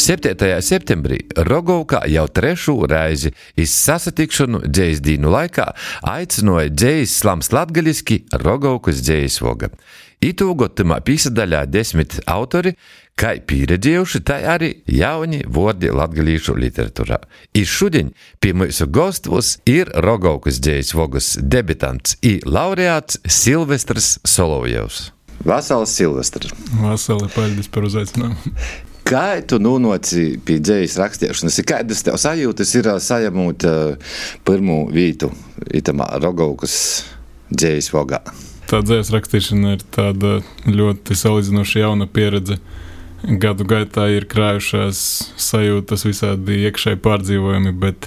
7. septembrī Rogovkā jau 3. reizi iz sasatikšanu dzējas dīnu laikā aicinoja dzējas slams latgaliski Rogovkas dzējas voga. Itūgot tamā pīsadaļā 10 autori, kai pīredzējuši, tai arī jauni vordi latgalīšu literatūrā. I šudiņ pie mūsu gostvus ir Rogovkas dzējas vogas debitants i laureāts Silvestrs Solovjevs. Vasals Silvestrs. Vasali, paldies par uzaicinājumu. Kā tu nonāci pie dzējas rakstiešanas? Kādas tev sajūtas ir sajamūt pirmo vītu itamā Rogovkas dzējas vogā? Tā dzējas rakstīšana ir tāda ļoti salīdzinoši jauna pieredze. Gadu gaitā ir krājušās sajūtas, visādi iekšēji pārdzīvojumi, bet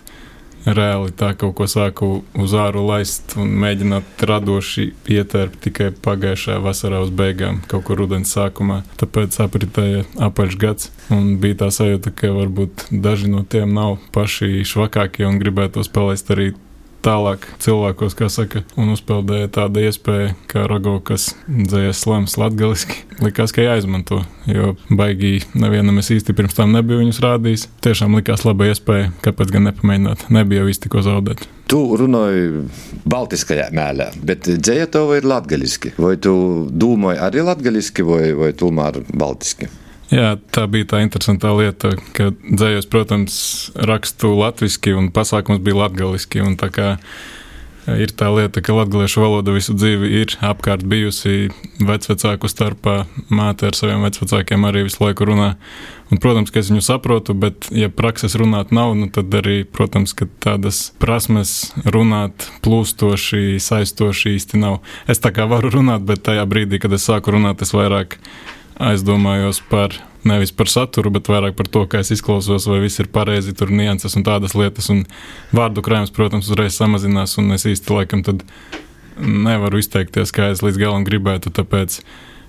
reāli tā kaut ko sāku uz āru laist un mēģināt radoši ietērpt tikai pagājušajā vasarā uz beigām, kaut kur rudens sākumā. Tāpēc apritēja apaļš gads un bija tā sajūta, ka varbūt daži no tiem nav paši švakākie un gribētos palaist arī tālāk cilvēkos, kā saka, un uzpeldēja tāda iespēja, kā Rogovkas dzējas slams latgaliski. Likās, ka jāizmanto, jo baigi nevienam es īsti pirms tam nebiju viņus rādījis. Tiešām likās laba iespēja, kāpēc gan nepamēģināt. Nebija jau īsti ko zaudēt. Tu runāji baltiskajā mēlē, bet dzēja tev ir latgaliski. Vai tu domāji arī latgaliski vai tomēr baltiski? Jā, tā bija tā interesantā lieta, ka dzējos, protams, rakstu latviski un pasākums bija latgaliski. Un tā kā ir tā lieta, ka latgaliešu valoda visu dzīvi ir apkārt bijusi vecvecāku starpā, māte ar saviem vecvecākiem arī visu laiku runā. Un, protams, ka es viņu saprotu, bet ja prakses runāt nav, tad arī, protams, ka tādas prasmes runāt plūstoši, saistoši īsti nav. Es tā kā varu runāt, bet tajā brīdī, kad es sāku runāt, es vairāk aizdomājos nevis par saturu, bet vairāk par to, kā es izklausos, vai viss ir pareizi, tur nianses un tādas lietas, un vārdu krājums, protams, uzreiz samazinās, un es īsti laikam tad nevaru izteikties, kā es līdz galam gribētu, tāpēc,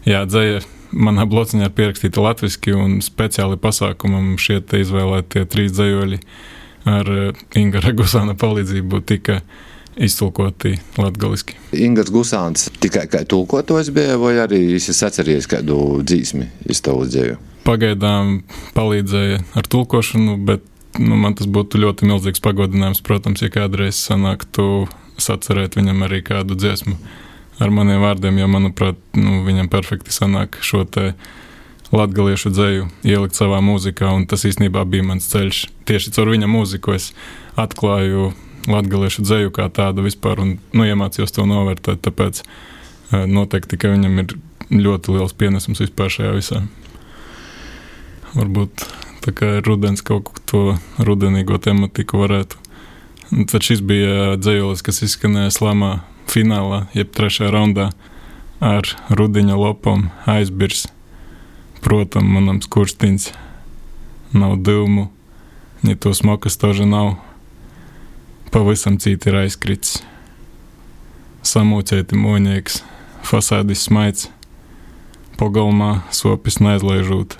jā, dzēja manā blociņā ir pierakstīta latviski, un speciāli pasākumam šie te izvēlētie 3 dzējoļi ar Ingara Gusāna palīdzību tika iztulkoti latgaliski. Ingars Gusāns tikai kā tulkotājs bija, vai arī es atceries kādu dzīsmi iz tavu dzēju? Pagaidām palīdzēja ar tulkošanu, bet man tas būtu ļoti milzīgs pagodinājums, protams, ja kādreiz sanāktu sacerēt viņam arī kādu dziesmu ar maniem vārdiem, jo, manuprāt, viņam perfekti sanāk šo te latgaliešu dzēju ielikt savā mūzikā, un tas īstenībā bija mans ceļš. Tieši caur viņa mūziku es atklāju latgaliešu dzēju kā tādu vispār un iemācījos to novērtēt, tāpēc noteikti, ka viņam ir ļoti liels pienesums vispār šajā visā. Varbūt tā kā ir rudens kaut to rudenīgo tematiku varētu. Un tad šis bija dzējolis, kas izskanēja slamā finālā, jeb 3. raundā ar rudiņa lopom aizbirs. Protam, manam skurstiņš nav divmu, ja to smokas toža nav. Pavisam cīti ir aizkrits. Samūcēti moņieks, fasādis smaids, pogalmā sopis neaizlaižūt,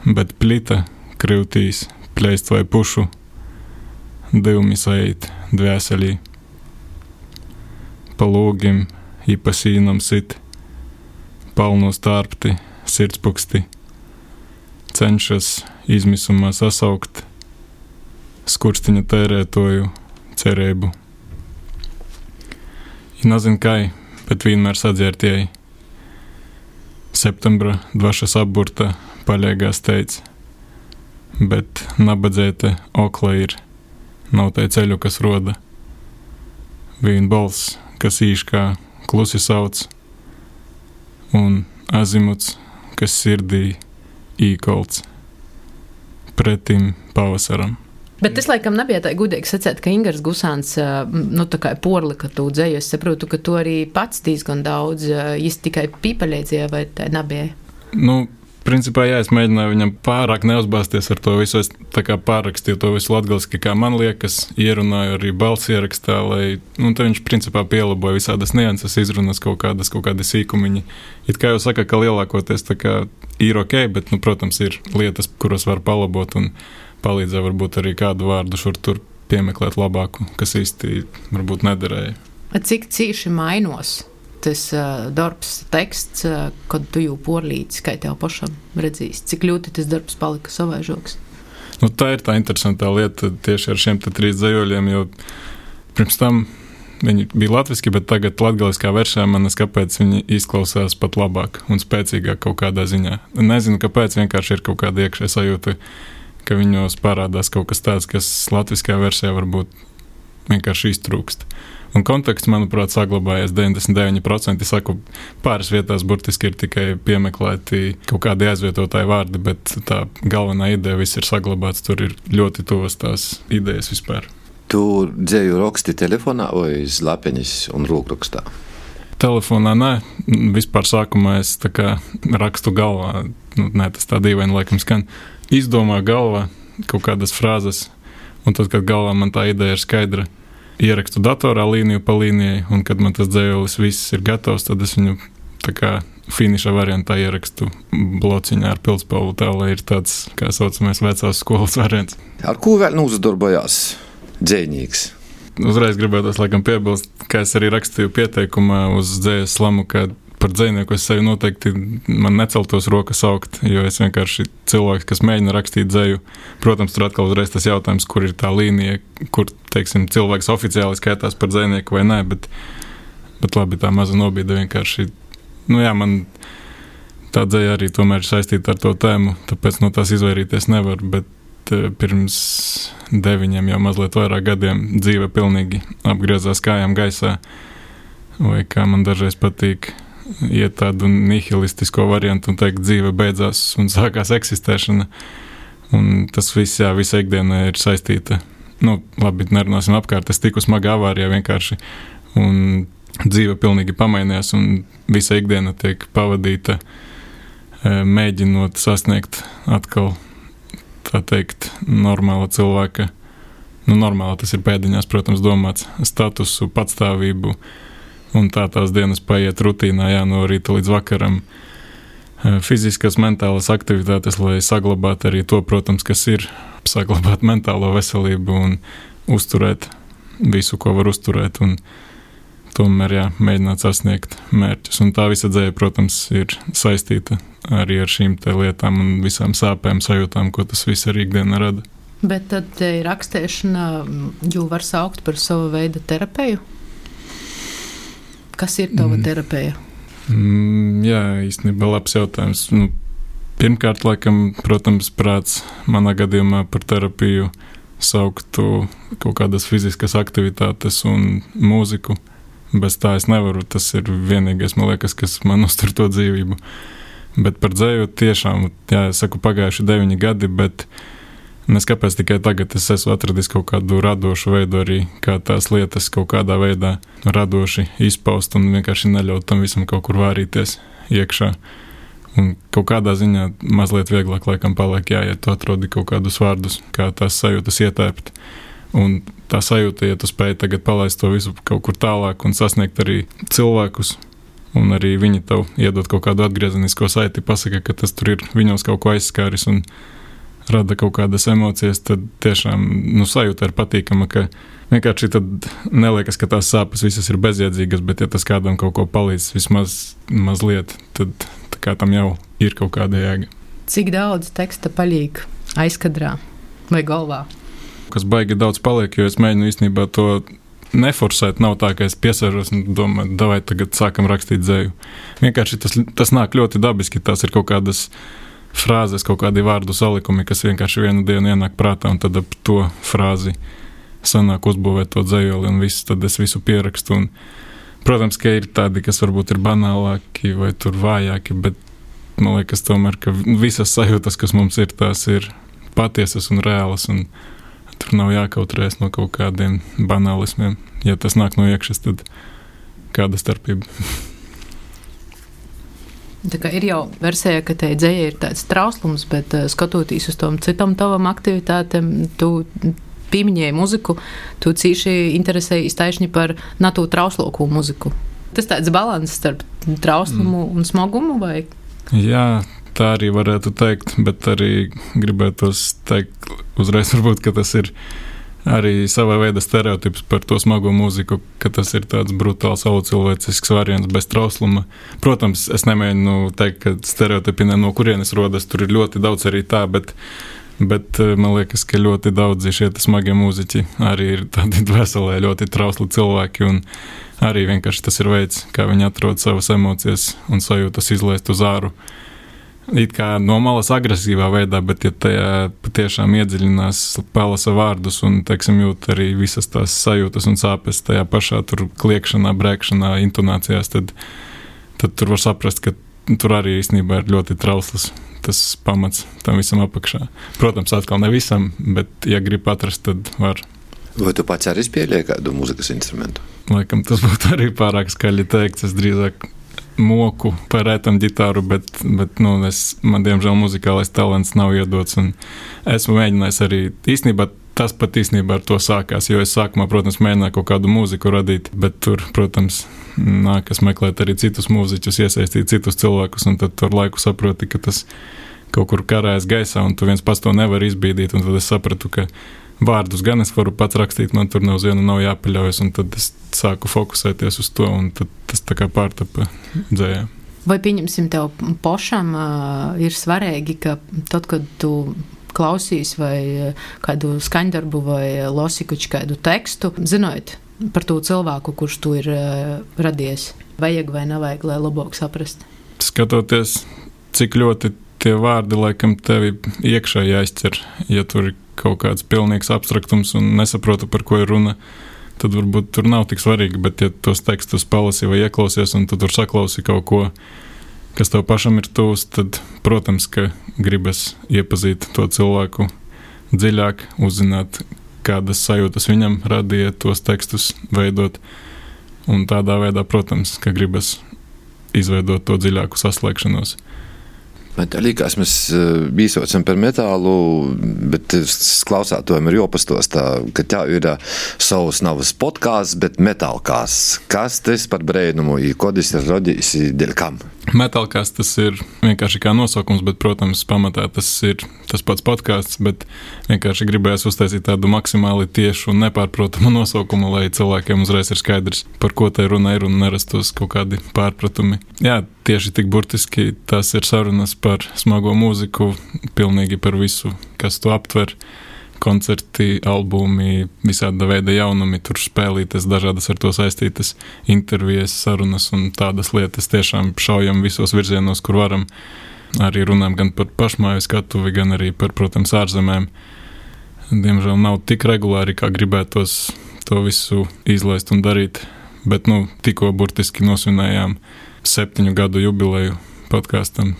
bet plita kryvtīs, pleist vai pušu, divmi saīt dvēselī. Pa lūgim i pa sīnam sit, palnos tārpti, sirdspuksti, cenšas izmisumā sasaukt, skurstiņa tērētoju, cerību. I nazin kai, bet vienmēr sadzērtieji. Septembra dvašas apburta paļēgā steidz, bet nabadzēte okla ir, nav tai ceļu, kas roda. Vien balss, kas īškā klusi sauc, un azimuts, kas sirdī īkolts, pretim pavasaram. Bet tas, laikam, nebija tā gudīgi sacēt, ka Ingars Gusāns, tā kā porlika tu dzēju. Es saprotu, ka tu arī pats diezgan daudz, jis tikai pīpaļēdzīja, vai tā nebija? Principā, jā, es mēģināju viņam pārāk neuzbāzties ar to visu. Es tā kā pārrakstīju to visu latgaliski, kā man liekas, ierunāju arī balss ierakstā, lai, te viņš principā pielaboja visādas nianses, izrunas kaut kādi sīkumiņi. It kā jau saka, ka lielākoties tā kā ir ok, bet, protams, ir lietas, kuras var palabot un palīdzēja varbūt arī kādu vārdu šur tur piemeklēt labāku, kas īsti varbūt nederēja. Cik cīši mainos tas darbs, teksts, kad tu jau porlīdzi, kā tev pašam redzīs, cik ļoti tas darbs palika savaižoks? Nu, tā ir tā interesantā lieta tieši ar šiem 3 dzejoļiem, jo pirms tam viņi bija latviski, bet tagad latgaliskā versijā manas kāpēc viņi izklausās pat labāk un spēcīgāk kaut kādā ziņā. Nezinu, kāpēc, vienkārši ir kaut kāda iekšē sajūta, ka viņos parādās kaut kas tāds, kas latviskā versijā varbūt vienkārši iztrūkst. Un konteksts, manuprāt, saglabājies 99%. Saku, pāris vietās burtiski ir tikai piemeklēti kaut kādi aizvietotāji vārdi, bet tā galvenā ideja viss ir saglabāts, tur ir ļoti tuvas tās idejas vispār. Tu dzēju raksti telefonā vai uz lapeņas un rokrakstā? Telefonā nē, vispār sākumā es tā kā rakstu galvā, tas tā dīvaini laikam skan, izdomāju galvā kaut kādas frāzes, un tad, kad galvā man tā ideja ir skaidra, ierakstu datorā līniju pa līnijai, un kad man tas dzējolis viss ir gatavs, tad es viņu tā kā finiša variantā ierakstu blociņā ar pildspalvu, tā lai ir tāds, kā saucamais, vecās skolas variants. Ar ko vēl nūzdarbojās dzējnīgs? Uzreiz gribētos laikam piebilst, kā es arī rakstīju pieteikumā uz dzējas slamu, ka par dzējnieku es sevi noteikti man neceltos rokas augt, jo es vienkārši cilvēks, kas mēģina rakstīt dzēju. Protams, tur atkal uzreiz tas jautājums, kur ir tā līnija, kur, teiksim, cilvēks oficiāli skaitās par dzējnieku vai nē, bet labi, tā maza nobīde vienkārši, man tā dzēja arī tomēr ir saistīta ar to tēmu, tāpēc no tās izvairīties nevar, bet pirms 9 jau mazliet vairāk gadiem dzīve pilnīgi apgriezās kājām gaisā, vai kā man dažreiz patīk iet tādu nihilistisko variantu un teikt, dzīve beidzās un sākās eksistēšana. Un tas viss, visa ikdiena ir saistīta. Labi, nerunāsim apkārt, es tiku smagā avārijā vienkārši. Un dzīve pilnīgi pamainījās un visa ikdiena tiek pavadīta mēģinot sasniegt atkal, tā teikt, normāla cilvēka. Normāla tas ir pēdiņās, protams, domāts statusu, patstāvību. Un tās dienas paiet rutīnā, no rīta līdz vakaram. Fiziskas, mentālas aktivitātes, lai saglabātu arī to, protams, kas ir, saglabāt mentālo veselību un uzturēt visu, ko var uzturēt, un tomēr, mēģināt sasniegt mērķus. Un tā visa dzēja, protams, ir saistīta arī ar šīm te lietām un visām sāpēm, sajūtām, ko tas viss arī ikdienā rada. Bet tad rakstēšana jau var saukt par savu veidu terapiju? Kas ir tava terapija? Īstenībā labs jautājums. Pirmkārt, laikam, protams, prāts manā gadījumā par terapiju sauktu kaut kādas fiziskas aktivitātes un mūziku. Bez tā es nevaru, tas ir vienīgais, man liekas, kas man uztur to dzīvību. Bet par dzēju tiešām, es saku, pagājuši 9 gadi, bet kāpēc tikai tagad es esmu atradis kaut kādu radošu veidu arī, kā tās lietas kaut kādā veidā radoši izpaust un vienkārši neļaut tam visam kaut kur vārīties iekšā. Un kaut kādā ziņā mazliet vieglāk laikam paliek, ja tu atrodi kaut kādus vārdus, kā tās sajūtas ietērpt. Un tā sajūta, ja tu spēj tagad palaist to visu kaut kur tālāk un sasniegt arī cilvēkus, un arī viņi tev iedod kaut kādu atgriezenisko saiti, pasaka, ka tas tur ir viņos kaut ko aizskāris un rada kaut kādas emocijas, tad tiešām sajūta ir patīkama, ka vienkārši tad neliekas, ka tās sāpes visas ir bezjēdzīgas, bet ja tas kādam kaut ko palīdz vismaz mazliet, tad tā kā tam jau ir kaut kāda jēga. Cik daudz teksta paliek aizkadrā vai galvā? Kas baigi daudz paliek, jo es mēģinu īstenībā to neforsēt, nav tā, ka es piesēžos un domāju, davai tagad sākam rakstīt dzēju. Vienkārši tas nāk ļoti dabiski, tās ir kaut kādas frāzes, kaut kādi vārdu salikumi, kas vienkārši vienu dienu ienāk prātā, un tad ap to frāzi sanāk uzbūvēt to dzējoli, un tad es visu pierakstu. Un, protams, ka ir tādi, kas varbūt ir banālāki vai tur vājāki, bet man liekas tomēr, ka visas sajūtas, kas mums ir, tās ir patiesas un reālas, un tur nav jākautrēs no kaut kādiem banālismiem. Ja tas nāk no iekšas, tad kāda starpība? Tā kā ir jau versija, ka te dzēja ir tāds trauslums, bet skatoties uz tom citam tavam aktivitātēm, tu pieminēji muziku, tu cīši interesējies taišņi par natū trausloku muziku. Tas tāds balans starp trauslumu un smagumu, vai? Jā, tā arī varētu teikt, bet arī gribētos teikt uzreiz varbūt, ka tas ir arī savā veida stereotips par to smago mūziku, ka tas ir tāds brutāls, cilvēcisks variants bez trausluma. Protams, es nemēģinu teikt, ka stereotipi no kurienes rodas, tur ir ļoti daudz arī tā, bet man liekas, ka ļoti daudzi šie smagie mūziķi arī ir tādi dvēselē ļoti trausli cilvēki, un arī vienkārši tas ir veids, kā viņi atrod savas emocijas un sajūtas izlaist uz āru. It kā no malas agresīvā veidā, bet ja tajā patiešām iedziļinās, palasa vārdus un, teiksim, jūt arī visas tās sajūtas un sāpes tajā pašā tur kliekšanā, brēkšanā, intonācijās, tad tur var saprast, ka tur arī īstenībā ir ļoti trausls tas pamats tam visam apakšā. Protams, atkal ne visam, bet, ja grib atrast, tad var. Vai tu pats arī spēlēji kādu mūzikas instrumentu? Laikam tas būtu arī pārāk skaļi teikts. Es drīzāk moku par rētam ģitāru, bet man diemžēl muzikālais talants nav iedots. Un esmu mēģinājis arī īstenībā. Tas pat īstenībā ar to sākās, jo es sākumā, protams, mēģināju kaut kādu mūziku radīt, bet tur, protams, nākas meklēt arī citus mūziķus, iesaistīt citus cilvēkus, un tad ar laiku saproti, ka tas kaut kur karājas gaisā, un tu viens pats to nevar izbīdīt, un tad es sapratu, ka vārdus gan es varu pats rakstīt, man tur nav jāpaļaujas, un tad es sāku fokusēties uz to, un tad tas tā kā pārtapa dzējā. Vai pieņemsim tev pašam ir svarīgi, ka tad, kad tu klausīs vai kādu skaņdarbu vai losikuči kādu tekstu, zinot par to cilvēku, kurš tu ir radies, vajag vai nevajag, lai labāk saprast? Skatoties, cik ļoti tie vārdi laikam tevi iekšā jāizķer, ja tur ir kaut kāds pilnīgs abstraktums un nesaprotu, par ko ir runa, tad varbūt tur nav tik svarīgi, bet ja tos tekstus palasi vai ieklausies un tu tur saklausi kaut ko, kas tev pašam ir tūs, tad, protams, ka gribas iepazīt to cilvēku dziļāk, uzzināt, kādas sajūtas viņam radīja tos tekstus veidot. Un tādā veidā, protams, ka gribas izveidot to dziļāku saslēgšanos. Man tā liekas, mēs bīsocam par metālu, bet klausātojiem ir jāpastostā, ka tā ir savs navas podkāsts, bet metālkāsts. Kas tas par brēnumu, kodis ir rodījis, dēļ kam? Metālkāsts tas ir vienkārši kā nosaukums, bet, protams, pamatā tas ir tas pats podkāsts, bet vienkārši gribējās uztaisīt tādu maksimāli tiešu un nepārprotamu nosaukumu, lai cilvēkiem uzreiz ir skaidrs, par ko tai runa ir un nerastos kaut kādi pārpratumi. Jā, tieši tik burtiski tās ir sarunas par smago mūziku, pilnīgi par visu, kas to aptver. Koncerti, albumi, visāda veida jaunumi, tur spēlītas, dažādas ar to saistītas intervijas, sarunas un tādas lietas. Tiešām šaujam visos virzienos, kur varam. Arī runājam gan par pašmāju skatuvi, gan arī par, protams, ārzemēm. Diemžēl nav tik regulāri, kā gribētos to visu izlaist un darīt, bet, tikko burtiski nosvinējām 7 gadu jubileju podkāstam,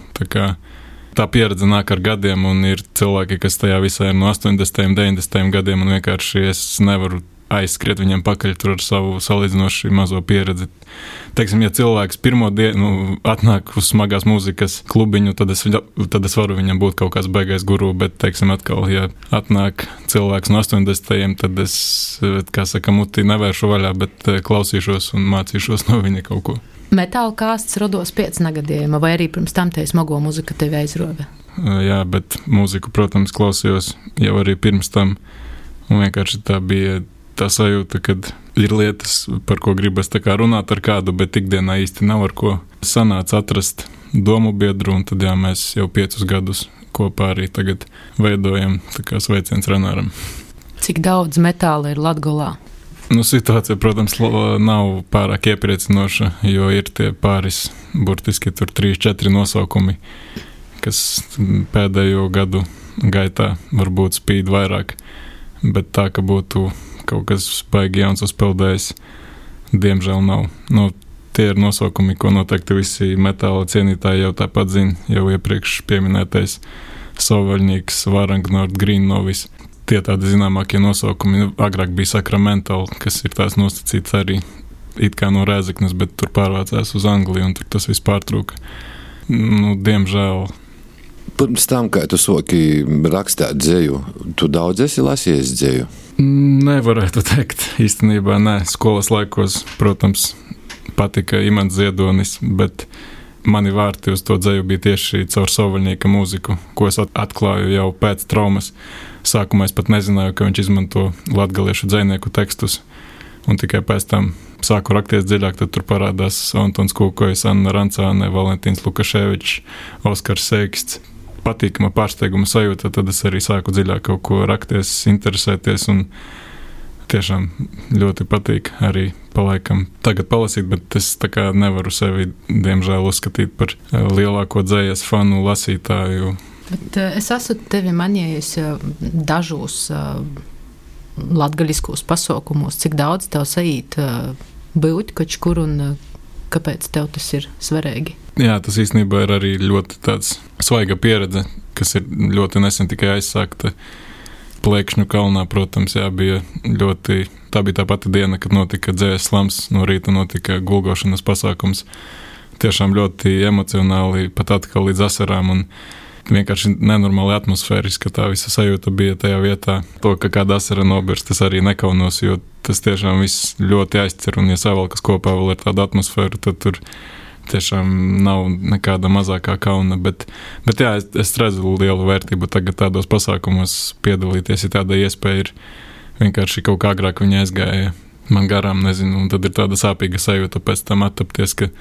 tā pieredze nāk ar gadiem, un ir cilvēki, kas tajā visā ir no 80. 90. gadiem, un vienkārši es nevaru aizskriet viņam pakaļ tur ar savu salīdzinoši mazo pieredzi. Teiksim, ja cilvēks pirmo dienu atnāk uz smagās mūzikas klubiņu, tad es varu viņam būt kaut kāds baigais guru, bet, teiksim, atkal, ja atnāk cilvēks no 80. tad es, kā saka, muti nevēršu vaļā, bet klausīšos un mācīšos no viņa kaut ko. Metālkāsts rodos pēc negadījuma, vai arī pirms tam te smago mūzika tevi aizrova? Jā, bet mūziku, protams, klausījos jau arī pirms tam, un vienkārši tā bija tā sajūta, kad ir lietas, par ko gribas tā kā runāt ar kādu, bet ikdienā īsti nav ar ko. Sanāca atrast domu biedru, un tad jā, mēs jau 5 gadus kopā arī tagad veidojam, tā kā sveiciens Renāram. Cik daudz metāla ir Latgolā? Situācija, protams, nav pārāk iepriecinoša, jo ir tie pāris, burtiski tur 3-4 nosaukumi, kas pēdējo gadu gaitā varbūt spīd vairāk, bet tā, ka būtu kaut kas baigi jauns uzpeldējis, diemžēl nav. Tie ir nosaukumi, ko noteikti visi metāla cienītāji jau tāpat zina, jau iepriekš pieminētais Sovaļņīgs, Varangnord, Green Novis. Tie tādi zināmākie nosaukumi. Agrāk bija Sacramental, kas ir tās nosacīts arī it kā no Rēzeknes, bet tur pārvācās uz Angliju, un tur tas viss pārtrūka. Diemžēl. Pirms tam, kā tu soki rakstāt dzeju, tu daudz esi lasījis dzeju? Nevarētu teikt, īstenībā nē. Skolas laikos, protams, patika Imants Ziedonis, bet mani vārti uz to dzeju bija tieši caur Sovaļnieka mūziku, ko es atklāju jau pēc traumas. Sākumā es pat nezināju, ka viņš izmanto latgaliešu dzejnieku tekstus, un tikai pēc tam sāku rakties dziļāk, tad tur parādās Antons Kūkojs, Anna Rancāne, Valentīns Lukaševičs, Oskars Seiksts. Patīkama pārsteiguma sajūta, tad es arī sāku dziļāk kaut ko rakties, interesēties, un tiešām ļoti patīk arī palaikam tagad palasīt, bet es tā kā nevaru sevi, diemžēl, uzskatīt par lielāko dzejas fanu lasītāju. Bet es esmu tevi manījis dažos latgaļiskos pasaukumos, cik daudz tev saīt būt kaut kur un kāpēc tev tas ir svarīgi? Jā, tas īstenībā ir arī ļoti tāds svaiga pieredze, kas ir ļoti nesen tikai aizsākta. Plēkšņu kalnā, protams, jā, tā bija tā pati diena, kad notika dzejas slams, no rīta notika gulgošanas pasākums. Tiešām ļoti emocionāli, pat atkal līdz asarām, un vienkārši nenormāli atmosfēriski, tā visa sajūta bija tajā vietā. To, ka kāda asara nobirst, tas arī nekaunos, jo tas tiešām viss ļoti aizcer, un ja savalkas kopā vēl ir tāda atmosfēra, tad tur tiešām nav nekāda mazākā kauna, bet jā, es redzu lielu vērtību tagad tādos pasākumos piedalīties, ja tāda iespēja ir vienkārši kaut kā agrāk viņa aizgāja man garām, nezinu, un tad ir tāda sāpīga sajūta pēc tam attapties, ka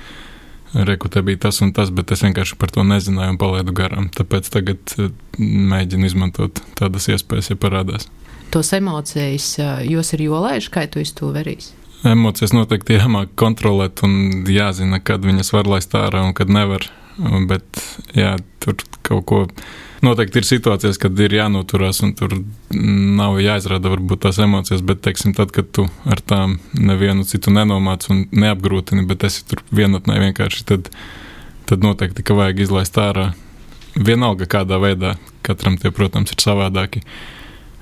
reku te bija tas un tas, bet es vienkārši par to nezināju un palaidu garām, tāpēc tagad mēģinu izmantot tādas iespējas, ja parādās. Tos emocijas, jos ir jolaiši, kā tu iz to verīs? Emocijas noteikti jāmāk kontrolēt un jāzina, kad viņas var laist ārā un kad nevar, bet jā, tur kaut ko noteikti ir situācijas, kad ir jānoturās un tur nav jāizrāda varbūt tās emocijas, bet, teiksim, tad, kad tu ar tām nevienu citu nenomāc un neapgrūtini, bet esi tur vienatnē vienkārši, tad noteikti, ka vajag izlaist ārā. Vienalga kādā veidā, katram tie, protams, ir savādāki.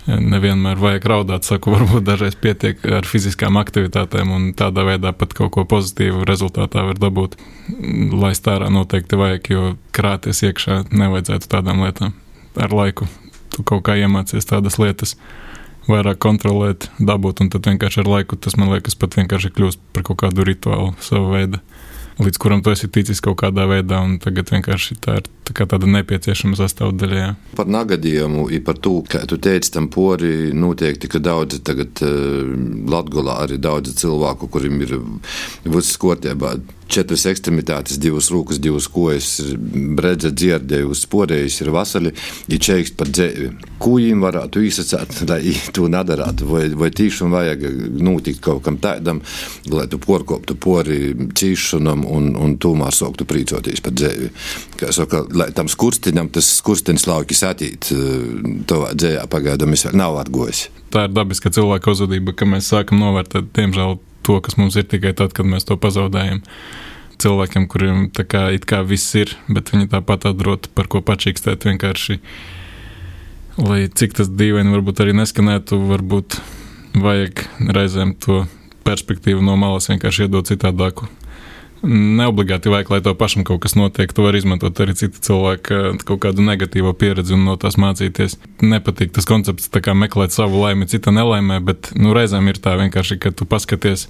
Nevienmēr vajag raudāt, saku, varbūt dažreiz pietiek ar fiziskām aktivitātēm un tādā veidā pat kaut ko pozitīvu rezultātā var dabūt. Laist ārā noteikti vajag, jo krāties iekšā nevajadzētu tādām lietām. Ar laiku tu kaut kā iemācies tādas lietas vairāk kontrolēt, dabūt, un tad vienkārši ar laiku tas, man liekas, pat vienkārši kļūst par kaut kādu rituālu sava veida, līdz kuram tu esi ticis kaut kādā veidā, un tagad vienkārši tā ir tāda nepieciešama sastāvdaļa. Jā. Par nagadījumu i par to, kā tu teici, tam pori noteikti, ka daudzi tagad Latgolā arī daudzi cilvēku, kuriem ir viss kārtībā, 4 ekstremitātes, 2 rūkas, 2 kojas, bredze, dzierdējusi, sporējusi, ir vasali, ir čeikst par dzēvi. Ko jīm varētu īsacēt, lai to nedarātu? Vai tīšām vajag notikt kaut kam tādam, lai tu porkoptu pori cīšanam un tomēr sāktu prīcoties par dzēvi? Kā saka, lai tam skurstiņam tas skurstiņas laukis atīt, tovā dzējā pagaidām es vēl nav atgojis. Tā ir dabiska cilvēka uzvedība, ka mēs sākam novērtēt, diemžēl, to, kas mums ir tikai tad, kad mēs to pazaudējam. Cilvēkiem, kuriem tā kā it kā viss ir, bet viņi tāpat atrod par ko pačīkstēt vienkārši, lai cik tas dīvaini varbūt arī neskanētu, varbūt vajag reizēm to perspektīvu no malas vienkārši iedot citādāku. Neobligāti vajag, lai to pašam kaut kas notiek, tu vari izmantot arī cita cilvēka kaut kādu negatīvo pieredzi un no tās mācīties. Nepatīk tas koncepts tā kā meklēt savu laimi cita nelaimē, bet reizēm ir tā vienkārši, ka tu paskaties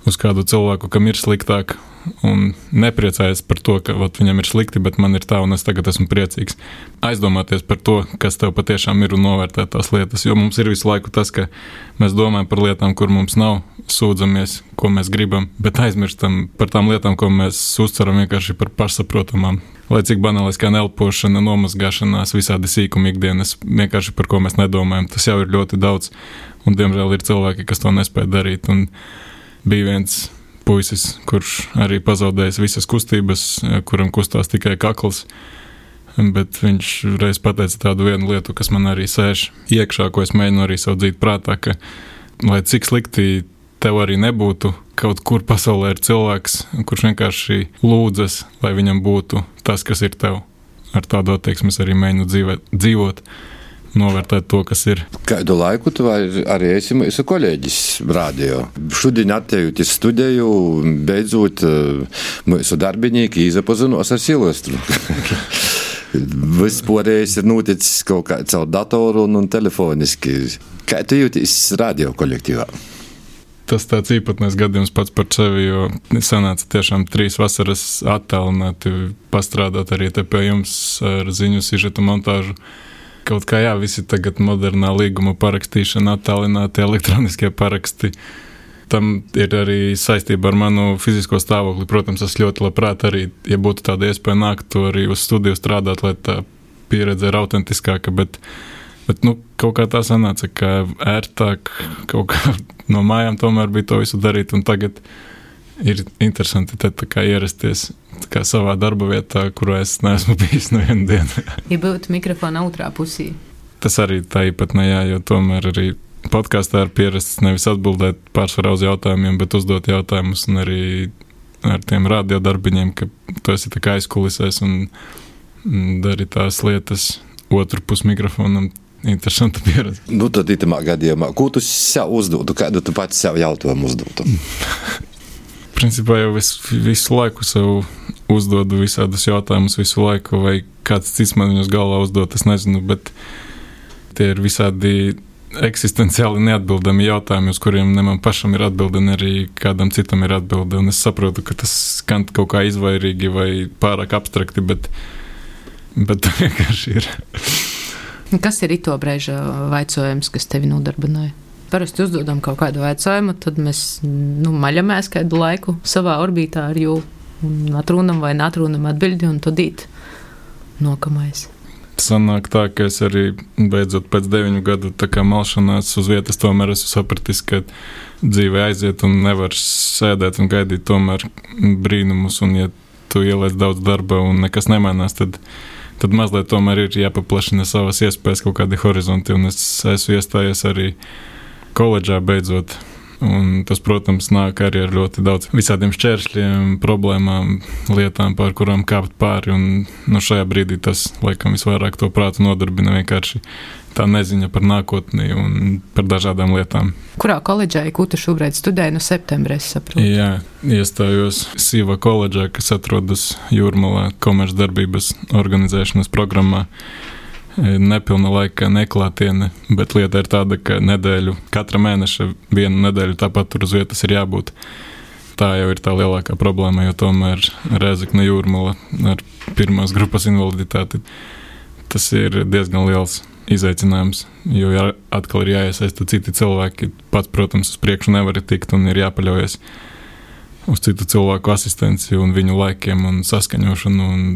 uz kādu cilvēku, kam ir sliktāk un nepriecājies par to, ka viņam ir slikti, bet man ir tā un es tagad esmu priecīgs. Aizdomāties par to, kas tev patiešām ir un novērtēt tās lietas, jo mums ir visu laiku tas, ka mēs domājam par lietām, kur mums nav, sūdzamies, ko mēs gribam, bet aizmirstam par tām lietām, ko mēs uztveram vienkārši par pašsaprotamām. Lai cik banālais kā elpošana, nomazgāšanās, visādi sīkumi ikdienas, vienkārši par ko mēs nedomājam, tas jau ir ļoti daudz, un diemžēl ir cilvēki, kas to nespēj darīt, un bija viens puisis, kurš arī pazaudējis visas kustības, kuram kustās tikai kakls, bet viņš reiz pateica tādu vienu lietu, kas man arī sēž iekšā, ko es mēģinu arī savu dzīt prātā, ka lai cik slikti tev arī nebūtu, kaut kur pasaulē ir cilvēks, kurš vienkārši lūdzas, lai viņam būtu tas, kas ir tev. Ar tādu attieksmi arī mēģinu dzīvot, novērtēt to, kas ir. Kādu laiku tu arī esi mūsu kolēģis radio. Šodien attējot iz studiju, beidzot mūsu darbinīki izapazinos ar Silvestru. Viss porējais ir noticis kaut kā caur datoru un telefoniski. Kā tu jūties radio kolektīvā? Tas tāds īpatnējs gadījums pats par sevi, jo sanāca tiešām 3 vasaras attālināti pastrādāt arī te pie jums ar ziņu sižetu montāžu. Kaut kā visi tagad modernā līguma parakstīšana, attālināti elektroniskie paraksti. Tam ir arī saistība ar manu fizisko stāvokli. Protams, es ļoti labprāt arī, ja būtu tāda iespēja nākt to arī uz studiju strādāt, lai tā pieredze ir autentiskāka, bet kaut kā tā sanāca, ka ērtāk kaut kā no mājām tomēr bija to visu darīt, un tagad ir interesanti te tā kā ierasties tā kā savā darba vietā, kurā es neesmu bijis nevienu dienu. Ja būtu mikrofona otrā pusī. Tas arī tā īpatnējā, jo tomēr arī podkāstā ir pierasts nevis atbildēt pārsvarā uz jautājumiem, bet uzdot jautājumus, un arī ar tiem radiodarbiņiem, ka tu esi tā kā aizkulisēs un dari tās lietas otru pus mikrofonam. Interesanta pieredze. Tad itamā gadījumā, ko tu sev uzdotu, kādu tu pats sev jautājumu uzdotu? Principā jau visu laiku sev uzdodu visādus jautājumus visu laiku, vai kāds cits man viņus galvā uzdot, es nezinu, bet tie ir visādi eksistenciāli neatbildami jautājumi, uz kuriem ne man pašam ir atbilde, ne arī kādam citam ir atbilde, un es saprotu, ka tas skan kaut kā izvairīgi vai pārāk abstrakti, bet tā vienkārši ir. Kas ir ito brēža vaicojums, kas tevi nodarbināja? Parasti uzdodam kaut kādu vaicojumu, tad mēs maļamies kādu laiku savā orbītā ar jū un atrunam vai neatrunam atbildi, un tad īt nokamais. Sanāk tā, ka es arī beidzot pēc 9 gadu tā kā malšanās uz vietas tomēr esmu sapratis, ka dzīve aiziet un nevar sēdēt un gaidīt tomēr brīnumus, un ja tu ieliec daudz darba un nekas nemainās, tad mazliet tomēr ir jāpaplašina savas iespējas, kaut kādi horizonti, un es esmu iestājies arī koledžā beidzot. Un tas, protams, nāk arī ar ļoti daudz visādiem šķēršļiem, problēmām, lietām, pār kurām kāpt pāri, un šajā brīdī tas, laikam, visvairāk to prātu nodarbina vienkārši tā neziņa par nākotni un par dažādām lietām. Kurā koledžā, ko tu šobrīd studēji no septembra, es saprotu? Jā, iestājos Sīva koledžā, kas atrodas Jūrmalā komercdarbības organizēšanas programmā. Nepilna laika neklātiene, bet lieta ir tāda, ka katra mēneša 1 nedēļu tāpat tur uz vietas ir jābūt. Tā jau ir tā lielākā problēma, jo tomēr Rēzekne Jūrmala ar 1. grupas invaliditāti, tas ir diezgan liels izaicinājums, jo atkal ir jāiesaista citi cilvēki. Pats, protams, uz priekšu nevar tikt un ir jāpaļaujas uz citu cilvēku asistenci un viņu laikiem un saskaņošanu, un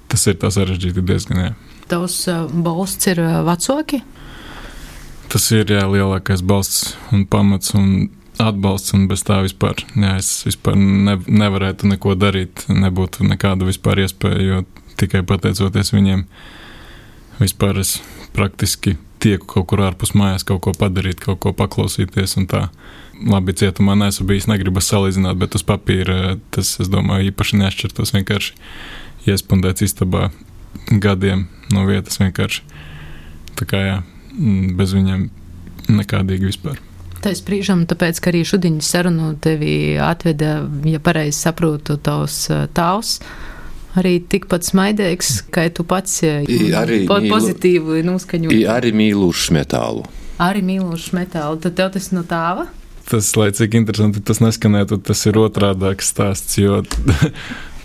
tas ir tā sarežģīti diezgan, Tavs balsts ir vecāki? Tas ir, lielākais balsts un pamats un atbalsts, un bez tā vispār. Es vispār nevarētu neko darīt, nebūtu nekādu vispār iespēju, jo tikai pateicoties viņiem vispār es praktiski tieku kaut kur ārpus mājās, kaut ko padarīt, kaut ko paklausīties, un tā. Labi, cietumā neesmu bijis, negribas salīdzināt, bet uz papīra tas, es domāju, īpaši neatšķirtos, vienkārši iespundēts istabā gadiem no vietas vienkārši. Tā kā bez viņiem nekādīgi vispār. Tais brīžam, tāpēc, ka arī šudiņu sarunu tevi atveda, ja pareizi saprotu, tavs tāvs, arī tikpat smaidīgs, kā tu pats pozitīvi noskaņot. Arī mīlušs metālu. Arī mīlušs metālu. Tad tev tas no tāva? Tas, lai cik interesanti tas neskanētu, tas ir otrādāks stāsts, jo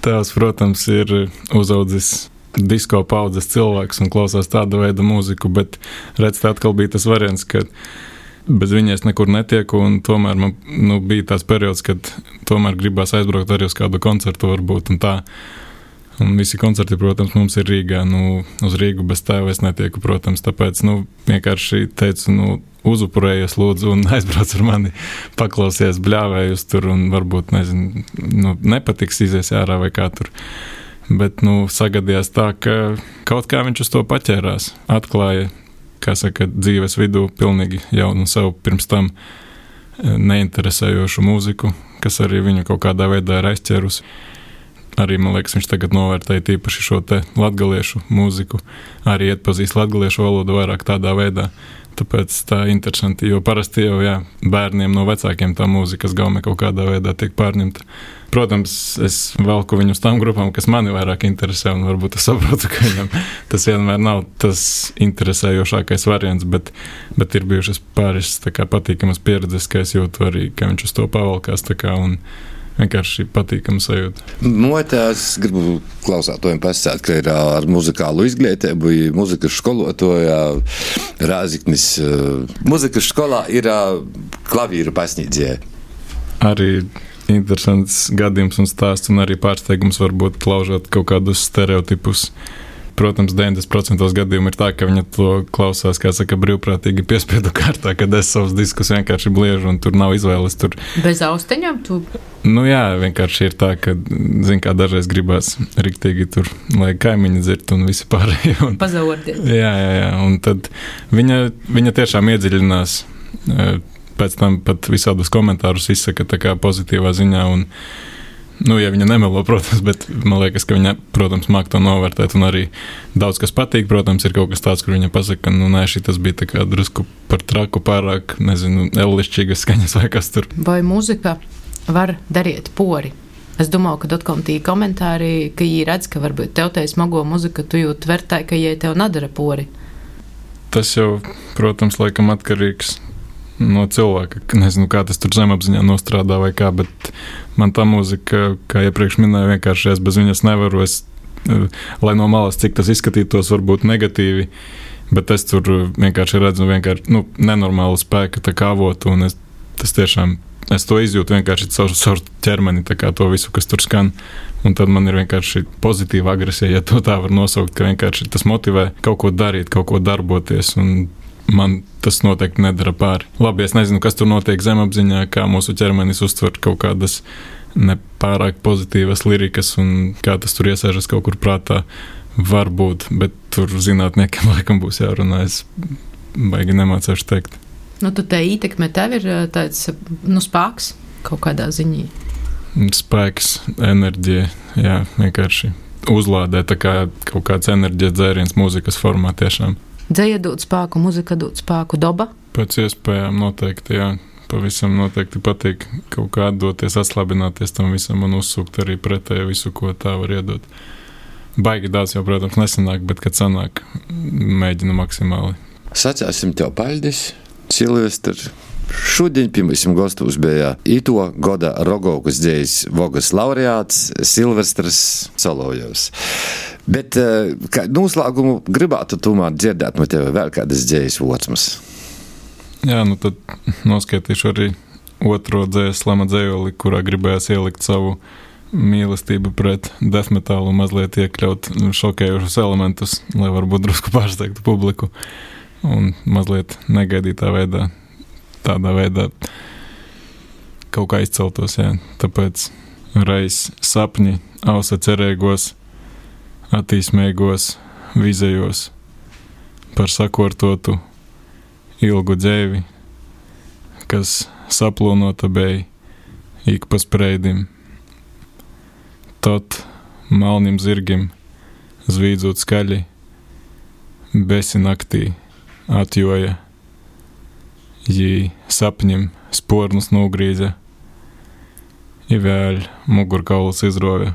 tēvs, protams, ir uzaudzis disko paudzes cilvēks un klausās tāda veida mūziku, bet redz, tā atkal bija tas variants, ka bez viņa es nekur netieku, un tomēr man bija tās periods, kad tomēr gribās aizbraukt arī uz kādu koncertu varbūt, un tā. Un visi koncerti, protams, mums ir Rīgā, uz Rīgu bez tēva es netieku, protams, tāpēc, vienkārši teicu, uzupurējies lūdzu un aizbrauc ar mani, paklausies, bļāvējus tur, un varbūt, nezinu, nepatiks, izies ārā vai kā tur. Bet, sagadījās tā, ka kaut kā viņš uz to paķērās, atklāja, kā saka, dzīves vidū pilnīgi jaunu sev pirms tam neinteresējošu mūziku, kas arī viņu kaut kādā veidā ir aizķērusi. arī, man liekas, viņš tagad novērtēja tīpaši šo te latgaliešu mūziku, arī atpazīst latgaliešu valodu vairāk tādā veidā. Tāpēc tā ir interesanti, jo parasti jau, bērniem no vecākiem tā mūzikas gaumē kaut kādā veidā tiek pārņemta. Protams, es velku viņu uz tām grupām, kas mani vairāk interesē, un varbūt es saprotu, ka viņam tas vienmēr nav tas interesējošākais variants, bet ir bijušas pāris tā kā patīkamas pieredzes, ka es jūtu arī, ka viņš uz to pavalkās tā kā, un vienkārši patīkama sajūta. Motās gribu klausātojiem pasakāt, ka ir ar muzikālu izglītību, muzikas skolotāja Rāziknis. Muzikas skolā ir klavīru pasniedzēja. Arī interesants gadījums un stāsts, un arī pārsteigums varbūt laužot kaut kādus stereotipus. Protams, 90% gadījumu ir tā, ka viņa to klausās, kā saka, brīvprātīgi piespiedu kārtā, kad es savus diskus vienkārši bliežu, un tur nav izvēles. Tur. Bez austiņām tu? Nu jā, vienkārši ir tā, ka, zin kā, dažreiz gribās riktīgi tur, lai kaimiņi dzird un visi pārējie. Pazaurdiet. Jā, un tad viņa tiešām iedziļinās, pēc tam pat visādus komentārus izsaka tā kā pozitīvā ziņā, un ja viņa nemelo, protams, bet man liekas, ka viņa, protams, māk to novērtēt, un arī daudz kas patīk, protams, ir kaut kas tāds, kur viņa pasaka, šitas bija tā kā drusku par traku, pārāk, ellišķīgas skaņas vai kas tur. Vai muzika var darīt pori? Es domāju, ka dotkom tī komentāri, ka jī redz, ka varbūt tev tai smago muzika, tu jūt vērtēji, ka jai tev nadara pori. Tas jau, protams, laikam atkarīgs no cilvēka. Nezinu, kā tas tur zemapziņā nostrādā vai kā, bet man tā mūzika, kā iepriekš minēju, vienkārši es bez viņas nevaru. Lai no malas, cik tas izskatītos varbūt negatīvi, bet es tur vienkārši redzu nenormālu spēku tā kā avotu, un es to izjūtu vienkārši caur ķermeni, tā kā to visu, kas tur skan. Un tad man ir vienkārši pozitīva agresija, ja to tā var nosaukt, ka vienkārši tas motivē kaut ko darīt, kaut ko darboties, un man tas noteikti nedara pāri. Labi, es nezinu, kas tur notiek zemapziņā, kā mūsu ķermenis uztver kaut kādas nepārāk pozitīvas lirikas un kā tas tur iesēžas kaut kur prātā. Varbūt, bet tur zinātniekiem laikam būs jārunā. Es baigi nemācēšu teikt. Tad tā ietekme tev ir tāds, spēks kaut kādā ziņā? Spēks, enerģija, vienkārši uzlādē, tā kā kaut kāds enerģijas dzēriens mūzikas formā tiešām. Dzeja dod spēku, muzika dod spēku, doba? Pēc iespējām noteikti, pavisam noteikti patīk kaut kā atdoties, atslābināties tam visam un uzsūkt arī pretēju visu, ko tā var iedot. Baigi daudz jau, protams, nesanāk, bet kad sanāk, mēģinu maksimāli. Sacāsim tev paldies, Silvestr. Šodien pie mums gostos bija ito goda Rogovkas dzejas vogas laureāts Silvestrs Solovjovs. Bet kā noslēgumu gribētu tomēr dzirdēt no tevi vēl kādas dzejas votsmas. Tad noskaitīšu arī otro dzejas slama dzejoli, kurā gribējās ielikt savu mīlestību pret death metalu, mazliet iekļaut šokējušus elementus, lai varbūt drusku pārsteigtu publiku un mazliet negaidītā veidā, tādā veidā kaut kā izceltos, Tāpēc reiz sapņi, ausa cerēgos, attīsmēgos, vizējos par sakortotu ilgu dzēvi, kas saplūnota beja ik pa spreidim. Tot malnim zirgim zvīdzot skaļi, besi naktī atjoja, jī sapņim spornus nūgrīze, i vēl mugurkauls izrovja.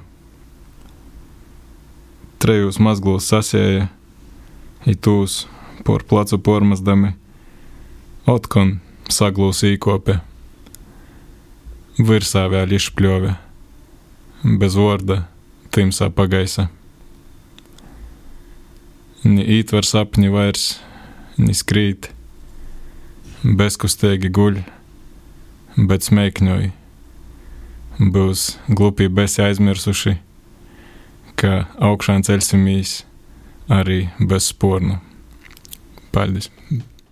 Trejūs mazglūs sasēja, i tūs por placu pormazdami, otkon saglūs īkope, virsā vēl išpļove, bez vorda timsā pagaisa. Ni ītver sapņi vairs, ni skrīt, bezkustēgi guļ, bet smēkņoj. Būs glupī besi aizmirsuši, ka augšān ceļsimīs arī bez spornu. Paldies!